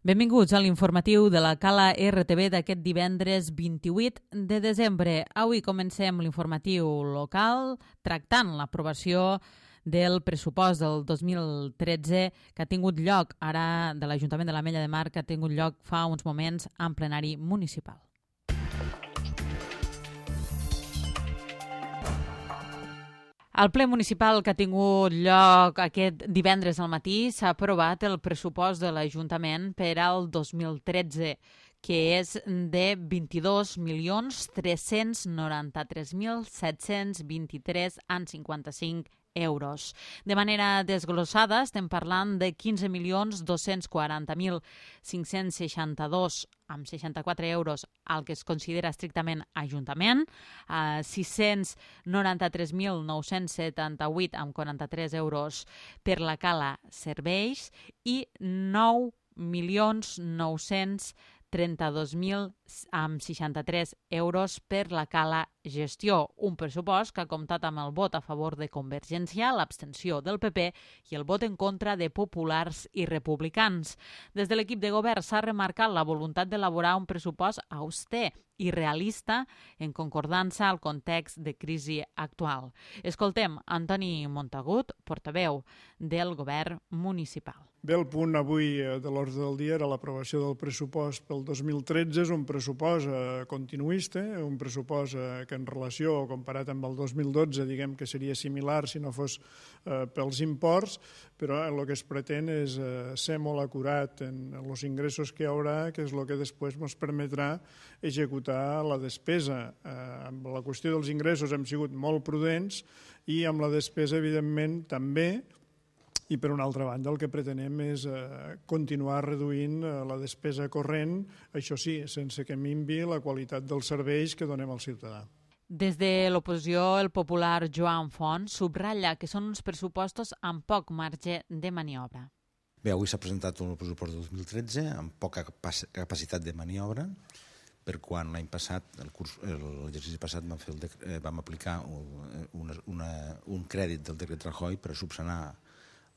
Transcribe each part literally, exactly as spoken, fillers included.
Benvinguts a l'informatiu de la Cala R T V d'aquest divendres vint-i-vuit de desembre. Avui comencem l'informatiu local tractant l'aprovació del pressupost del dos mil tretze que ha tingut lloc ara de l'Ajuntament de l'Ametlla de Mar, que ha tingut lloc fa uns moments en plenari municipal. Al ple municipal que ha tingut lloc aquest divendres al matí s'ha aprovat el pressupost de l'Ajuntament per al dos mil tretze, que és de vint-i-dos milions tres-cents noranta-tres mil set-cents vint-i-tres coma cinquanta-cinc euros. De manera desglossada estem parlant de quinze milions dos-cents quaranta mil cinc-cents seixanta-dos amb seixanta-quatre euros al que es considera estrictament Ajuntament, eh, sis-cents noranta-tres mil nou-cents setanta-vuit amb quaranta-tres euros per la Cala Serveis i nou milions nou-cents trenta-dos mil amb seixanta-tres euros per la Cala Gestió, un pressupost que ha comptat amb el vot a favor de Convergència, l'abstenció del P P i el vot en contra de Populars i Republicans. Des de l'equip de govern s'ha remarcat la voluntat d'elaborar un pressupost auster i realista en concordança al context de crisi actual. Escoltem Antoni Montagut, portaveu del govern municipal. Bé, el punt avui de l'ordre del dia era l'aprovació del pressupost pel dos mil tretze. És un pressupost eh, continuista, un pressupost eh, que en relació, comparat amb el dos mil dotze, diguem que seria similar si no fos eh, pels imports, però el que es pretén és eh, ser molt acurat en els ingressos que hi haurà, que és el que després ens permetrà executar la despesa. Eh, amb la qüestió dels ingressos hem sigut molt prudents i amb la despesa, evidentment, també. I, per una altra banda, el que pretenem és eh, continuar reduint eh, la despesa corrent, això sí, sense que minvi la qualitat dels serveis que donem al ciutadà. Des de l'oposició, el popular Joan Font subratlla que són uns pressupostos amb poc marge de maniobra. Bé, avui s'ha presentat un pressupost del dos mil tretze amb poca capacitat de maniobra, per quan l'any passat, l'exercici passat, vam, fer el dec... vam aplicar una, una, un crèdit del decret Rajoy per subsanar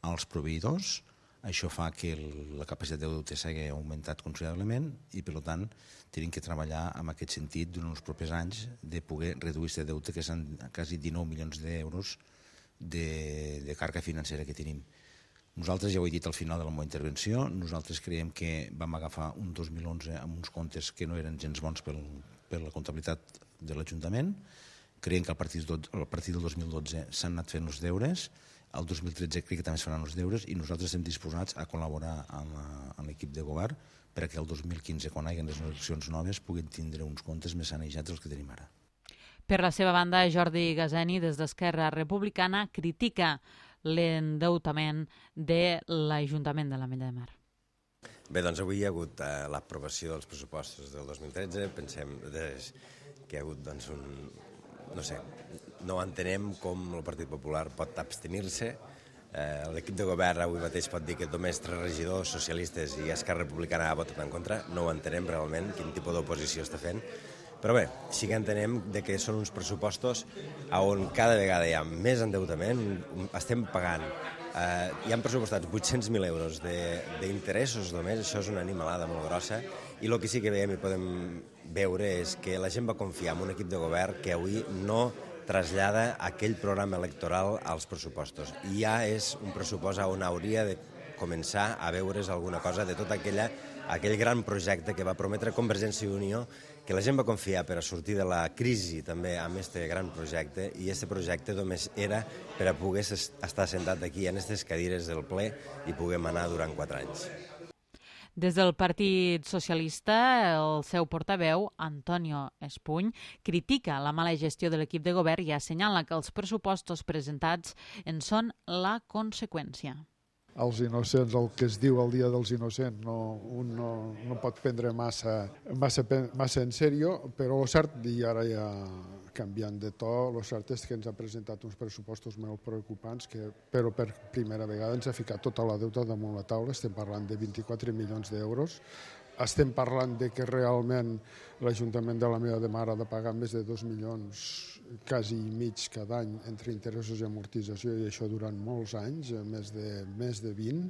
als proveïdors. Això fa que la capacitat de deute s'hagi augmentat considerablement i, per tant, tenim que treballar en aquest sentit durant els propers anys de poder reduir aquest deute, que són quasi dinou milions d'euros de, de càrrega financera que tenim. Nosaltres, ja ho he dit al final de la meva intervenció, nosaltres creiem que vam agafar un dos mil onze amb uns comptes que no eren gens bons per, per la comptabilitat de l'Ajuntament. Creiem que a partir, a partir del dos mil dotze s'han anat fent els deures. El dos mil tretze crec que també es faran els deures i nosaltres estem disposats a col·laborar amb l'equip de govern perquè el dos mil quinze, quan hi hagi les eleccions noves, puguin tindre uns comptes més sanejats dels que tenim ara. Per la seva banda, Jordi Gaseni, des d'Esquerra Republicana, critica l'endeutament de l'Ajuntament de l'Ametlla de Mar. Bé, doncs avui hi ha hagut eh, l'aprovació dels pressupostos del dos mil tretze. Pensem des, que hi ha hagut doncs, un... no sé, no entenem com el Partit Popular pot abstenir-se. Eh, L'equip de govern avui mateix pot dir que només tres regidors socialistes i Esquerra Republicana ha votat en contra. No ho entenem realment, quin tipus d'oposició està fent. Però bé, sí que entenem de que són uns pressupostos on cada vegada hi ha més endeutament, estem pagant. Eh, hi han pressupostats vuit-cents mil euros d'interessos només, això és una animalada molt grossa, i el que sí que veiem i podem veure és que la gent va confiar en un equip de govern que avui no trasllada aquell programa electoral als pressupostos. I ja és un pressupost on hauria de començar a veure's alguna cosa de tot aquella, aquell gran projecte que va prometre Convergència i Unió, que la gent va confiar per a sortir de la crisi també amb aquest gran projecte, i aquest projecte només era per a poder estar sentat aquí en aquestes cadires del ple i poder manar durant quatre anys. Des del Partit Socialista, el seu portaveu, Antonio Espuny, critica la mala gestió de l'equip de govern i assenyala que els pressupostos presentats en són la conseqüència. Els innocents, el que es diu el Dia dels Innocents, no, un no, no pot prendre massa, massa, massa en sèrio, però el cert, i ara ja canviant de to, el cert és que ens ha presentat uns pressupostos molt preocupants, que, però per primera vegada ens ha ficat tota la deuta damunt la taula. Estem parlant de vint-i-quatre milions d'euros estem parlant de que realment l'Ajuntament de la Mella de Mar ha de pagar més de dos milions quasi i mig cada any entre interessos i amortització, i això durant molts anys, més de, més de vint,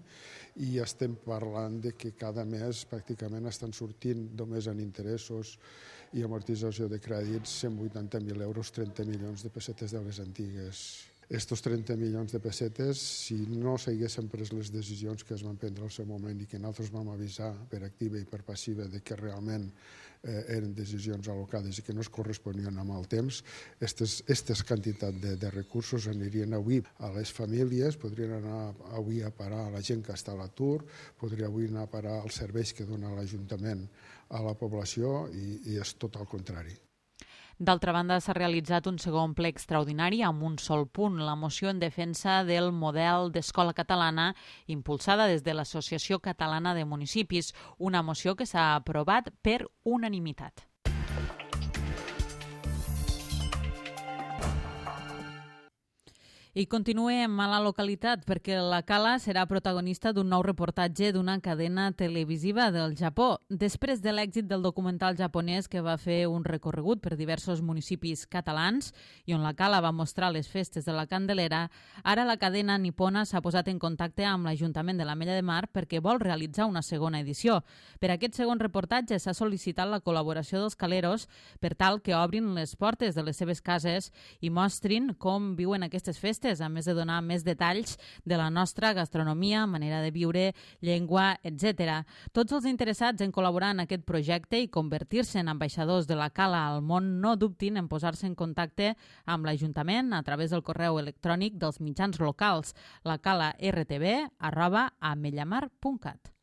i estem parlant de que cada mes pràcticament estan sortint només en interessos i amortització de crèdits cent vuitanta mil euros, trenta milions de pessetes de les antigues. Estos trenta milions de pessetes, si no s'haguessin pres les decisions que es van prendre al seu moment i que nosaltres vam avisar per activa i per passiva de que realment eh, eren decisions al·locades i que no es corresponien amb el temps, aquestes quantitats de, de recursos anirien avui a les famílies, podrien anar avui a parar a la gent que està a l'atur, podria avui anar a parar als serveis que dona l'Ajuntament a la població, i, i és tot el contrari. D'altra banda, s'ha realitzat un segon ple extraordinari amb un sol punt, la moció en defensa del model d'escola catalana impulsada des de l'Associació Catalana de Municipis, una moció que s'ha aprovat per unanimitat. I continuem a la localitat perquè la Cala serà protagonista d'un nou reportatge d'una cadena televisiva del Japó. Després de l'èxit del documental japonès que va fer un recorregut per diversos municipis catalans i on la Cala va mostrar les festes de la Candelera, ara la cadena nipona s'ha posat en contacte amb l'Ajuntament de la Mella de Mar perquè vol realitzar una segona edició. Per aquest segon reportatge s'ha sol·licitat la col·laboració dels caleros per tal que obrin les portes de les seves cases i mostrin com viuen aquestes festes, a més de donar més detalls de la nostra gastronomia, manera de viure, llengua, etcètera. Tots els interessats en col·laborar en aquest projecte i convertir-se en ambaixadors de la Cala al món no dubtin en posar-se en contacte amb l'Ajuntament a través del correu electrònic dels mitjans locals, lacala.rtv arroba amellamar punt cat.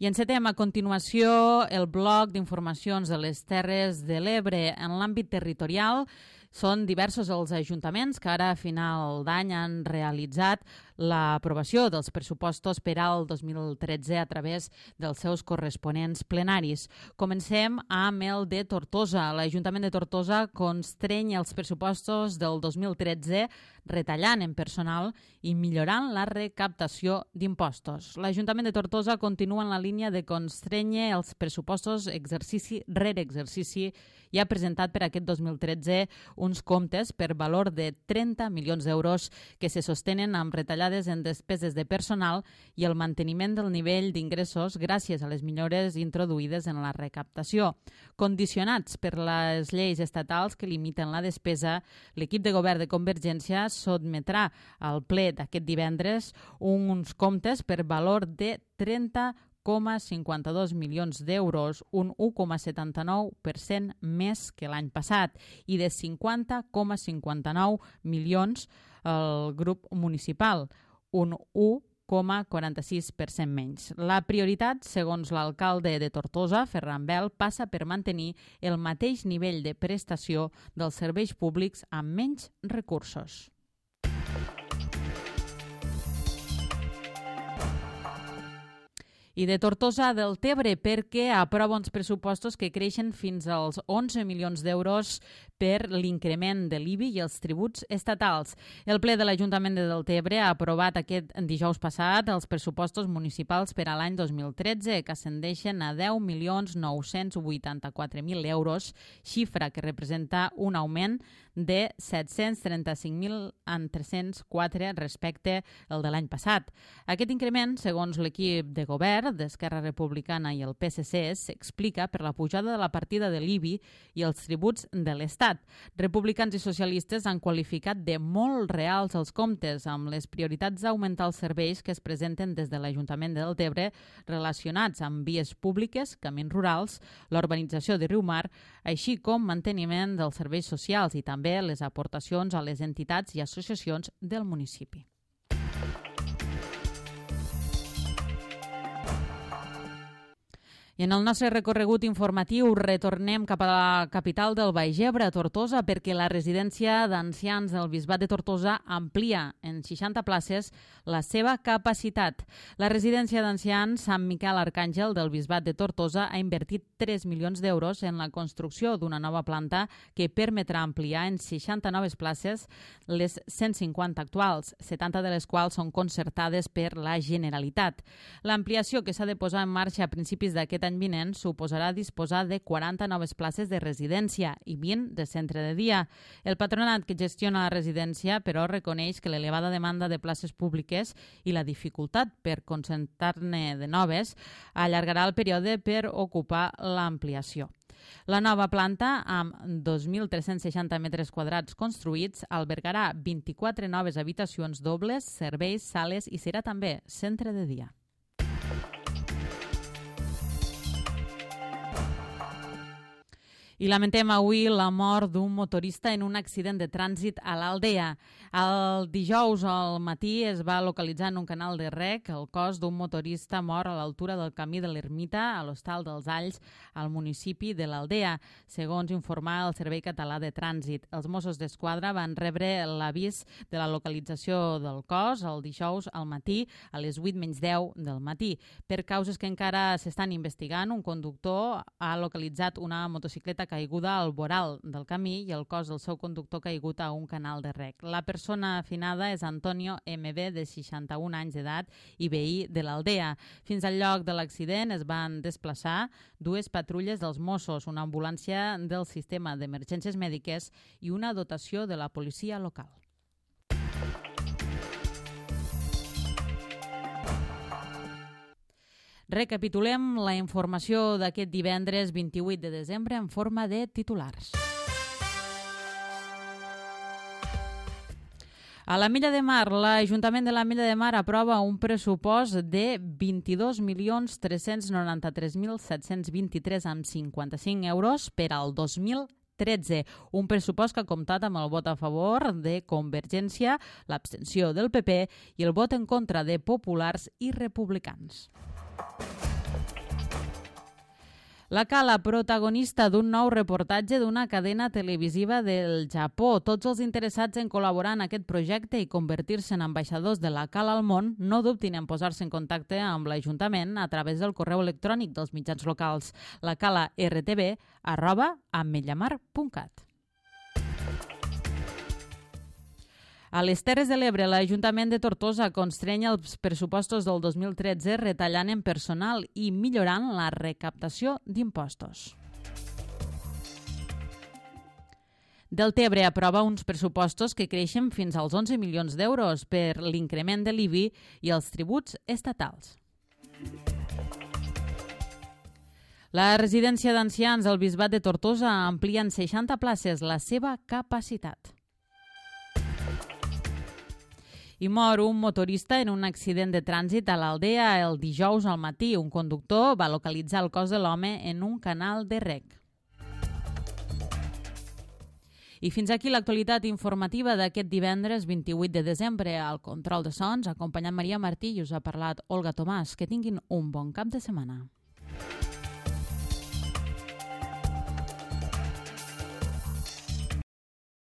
I encetem a continuació el bloc d'informacions de les Terres de l'Ebre. En l'àmbit territorial són diversos els ajuntaments que ara a final d'any han realitzat l'aprovació dels pressupostos per al dos mil tretze a través dels seus corresponents plenaris. Comencem amb el de Tortosa. L'Ajuntament de Tortosa constreny els pressupostos del dos mil tretze retallant en personal i millorant la recaptació d'impostos. L'Ajuntament de Tortosa continua en la línia de constrènyer els pressupostos exercici rere exercici i ha presentat per aquest dos mil tretze uns comptes per valor de trenta milions d'euros que se sostenen amb retallades en despeses de personal i el manteniment del nivell d'ingressos gràcies a les millores introduïdes en la recaptació. Condicionats per les lleis estatals que limiten la despesa, l'equip de govern de Convergència sotmetrà al ple d'aquest divendres uns comptes per valor de trenta coma cinquanta-dos milions d'euros, un u coma setanta-nou per cent més que l'any passat, i de cinquanta coma cinquanta-nou milions el grup municipal, un u coma quaranta-sis per cent menys. La prioritat, segons l'alcalde de Tortosa, Ferran Bel, passa per mantenir el mateix nivell de prestació dels serveis públics amb menys recursos. I de Tortosa del Tebre perquè aprova uns pressupostos que creixen fins als onze milions d'euros per l'increment de l'I B I i els tributs estatals. El ple de l'Ajuntament de Deltebre ha aprovat aquest dijous passat els pressupostos municipals per a l'any dos mil tretze, que ascendeixen a deu milions nou-cents vuitanta-quatre mil euros, xifra que representa un augment de set-cents trenta-cinc mil tres-cents quatre respecte al de l'any passat. Aquest increment, segons l'equip de govern d'Esquerra Republicana i el P S C, s'explica per la pujada de la partida de l'I B I i els tributs de l'Estat. Republicans i socialistes han qualificat de molt reals els comptes, amb les prioritats d'augmentar els serveis que es presenten des de l'Ajuntament de Deltebre relacionats amb vies públiques, camins rurals, l'urbanització de Riumar, així com manteniment dels serveis socials i també les aportacions a les entitats i associacions del municipi. I I en el nostre recorregut informatiu retornem cap a la capital del Baix Ebre, Tortosa, perquè la residència d'ancians del Bisbat de Tortosa amplia en seixanta places la seva capacitat. La residència d'ancians Sant Miquel Arcàngel del Bisbat de Tortosa ha invertit tres milions d'euros en la construcció d'una nova planta que permetrà ampliar en seixanta noves places les cent cinquanta actuals, setanta de les quals són concertades per la Generalitat. L'ampliació que s'ha de posar en marxa a principis d'aquest any vinent suposarà disposar de quaranta noves places de residència i vint de centre de dia. El patronat que gestiona la residència, però, reconeix que l'elevada demanda de places públiques i la dificultat per concentrar-ne de noves allargarà el període per ocupar l'ampliació. La nova planta, amb dos mil tres-cents seixanta metres quadrats construïts, albergarà vint-i-quatre noves habitacions dobles, serveis, sales i serà també centre de dia. I lamentem avui la mort d'un motorista en un accident de trànsit a l'Aldea. El dijous al matí es va localitzar en un canal de rec el cos d'un motorista mort a l'altura del camí de l'Ermita, a l'Hostal dels Alls, al municipi de l'Aldea, segons informar el Servei Català de Trànsit. Els Mossos d'Esquadra van rebre l'avís de la localització del cos el dijous al matí a les vuit menys deu del matí. Per causes que encara s'estan investigant, un conductor ha localitzat una motocicleta caiguda al voral del camí i el cos del seu conductor caigut a un canal de rec. La persona afinada és Antonio M B, de seixanta-un anys d'edat i veí de l'Aldea. Fins al lloc de l'accident es van desplaçar dues patrulles dels Mossos, una ambulància del sistema d'emergències mèdiques i una dotació de la policia local. Recapitulem la informació d'aquest divendres vint-i-vuit de desembre en forma de titulars. A l'Ametlla de Mar, l'Ajuntament de l'Ametlla de Mar aprova un pressupost de vint-i-dos milions tres-cents noranta-tres mil set-cents vint-i-tres coma cinquanta-cinc euros per al dos mil tretze, un pressupost que ha comptat amb el vot a favor de Convergència, l'abstenció del P P i el vot en contra de Populars i Republicans. La Cala, protagonista d'un nou reportatge d'una cadena televisiva del Japó. Tots els interessats en col·laborar en aquest projecte i convertir-se en ambaixadors de la Cala al món no dubtin en posar-se en contacte amb l'Ajuntament a través del correu electrònic dels mitjans locals, la cala r t b arroba ametllamar punt cat. A les Terres de l'Ebre, l'Ajuntament de Tortosa constreny els pressupostos del dos mil tretze retallant en personal i millorant la recaptació d'impostos. Deltebre aprova uns pressupostos que creixen fins als onze milions d'euros per l'increment de l'I B I i els tributs estatals. La residència d'ancians del Bisbat de Tortosa amplia en seixanta places la seva capacitat. I mor un motorista en un accident de trànsit a l'Aldea el dijous al matí. Un conductor va localitzar el cos de l'home en un canal de rec. I fins aquí l'actualitat informativa d'aquest divendres vint-i-vuit de desembre. Al control de sons, acompanyant Maria Martí, i us ha parlat Olga Tomàs. Que tinguin un bon cap de setmana.